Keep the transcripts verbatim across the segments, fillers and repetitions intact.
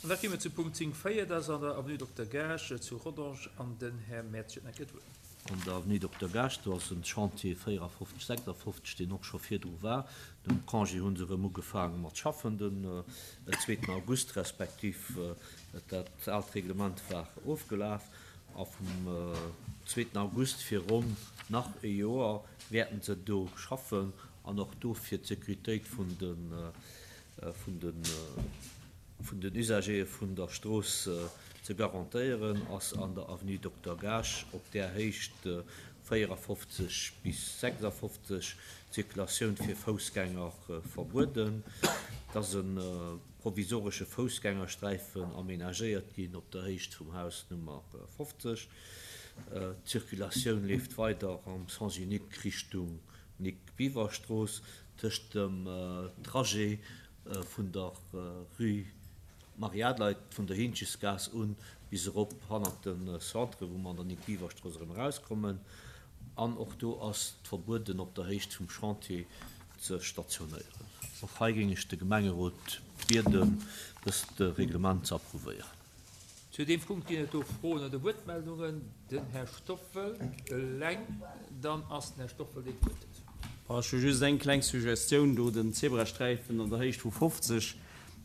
An da kéime mer zu Punkt zéng véier, dat ass an der Avenue Dokter Gaasch zu Rodange, an den Här Mertz huet nach eng Kéier d'Wuert. An der Avenue Dokter Gaasch, do ass en Chantier véierafofzeg, sechsafofzeg, deen och scho virdru war. Nom Congé hu se erëm ugefaange mat schaffen den zweeten August, respektiv dat aalt Reglement war ofgelaf. A vum zweeten August fir ronn nach e Joer wäerten se do schaffen an och do fir d'Sécuritéit vun de vun de vun den Usagere vun der Strooss ze garantéieren, ass an der Avenue Dokter Gaasch op där Héicht véierafofzeg bis sechsafofzeg d'Zirkulatioun fir Foussgänger verbueden. Et ass e provisoresche Foussgängersträifen amenagéiert ginn op der Héicht vum Haus Nummer fofzeg. D'Zirkulatioun leeft weider am Sens unique Richtung Nic-Biver-Strooss tëscht dem Trajet vun der Rue Marie-Adelheid vun der Hinchesgaass un bis erop hannert de Centre, wou mer an der Nic-Biver-Strooss erëm erauskommen. An och do ass et verbueden, op der Héicht vum Chantier ze stationéieren. Och hei géing ech de Gemengerot bieden, dëst Reglement ze approuvéieren. Zu deem Punkt ginn et do Froen oder Wuertmeldungen. Den Här Stoffel eleng, dann ass den Här Stoffel deen d'Wuert huet. Ech hu just eng kleng Suggestioun do, den Zebrasträifen an der Héicht vu fofzeg,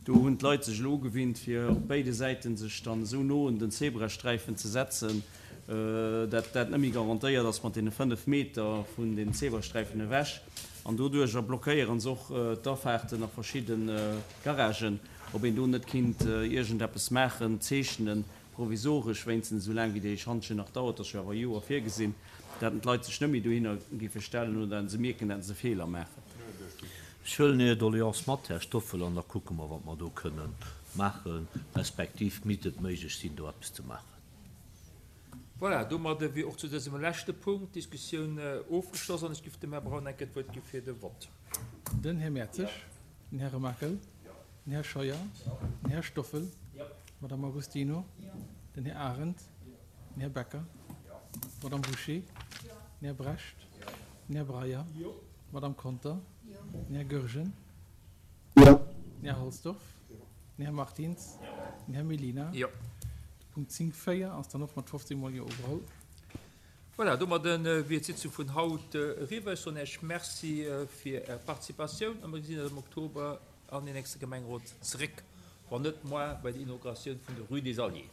do hunn d'Leit sech elo ugewinnt, fir op béide Säiten sech dann esou no un den Zebrasträifen ze setzen, dat dat net méi garantéiert ass mat deene fënnef Meter vun den Zebrasträifen ewech. An doduerjer blockéiere se och d'Afaarten a verschidde Garagen. Ob een do net kinnt iergendeppes maachen, zeechnen, provisoresch wéinstens, esou laang wéi dee Schantjen nach dauert, ass jo awer e Joer virgesinn, dat d'Leit sech net méi dohinner géife stellen oder se mierken, dat se Feeler maachen. Ech huelen Är Doleance mat, Här Stoffel, an da kucke mer, wat mer do kënnen maachen, respektiv misst et méiglech sinn, do eppes ze maachen. Voilà, domadde wier och zu dësem leschte Punkt d'Diskussioun ofgeschloss an ech giff dem Här Braun enke d'Wuert gi fir de Vott. Den Här Mertzig, den Här Remakel, den Här Scheuer, den Här Stoffel, d'Madame Agostino, den Här Arendt, den Här Becker, d'Madame Bouché, den Här Brecht, den Här Breyer, d'Madame Conter, den Här Goergen, den Här Halsdorf, den Här Martins, den Här Mellina. De Punkt zéng véier ass dann och mat fofzéng mol Jo ugeholl. Voilà, domadde wier d'Sitzung vun haut eriwwer. Ech soen Iech Merci fir Är Participatioun a mir gesinn eis am Oktober an den nächste Gemengerot zeréck, wann net moar bei der Inauguratioun vun der Rue des Alliés.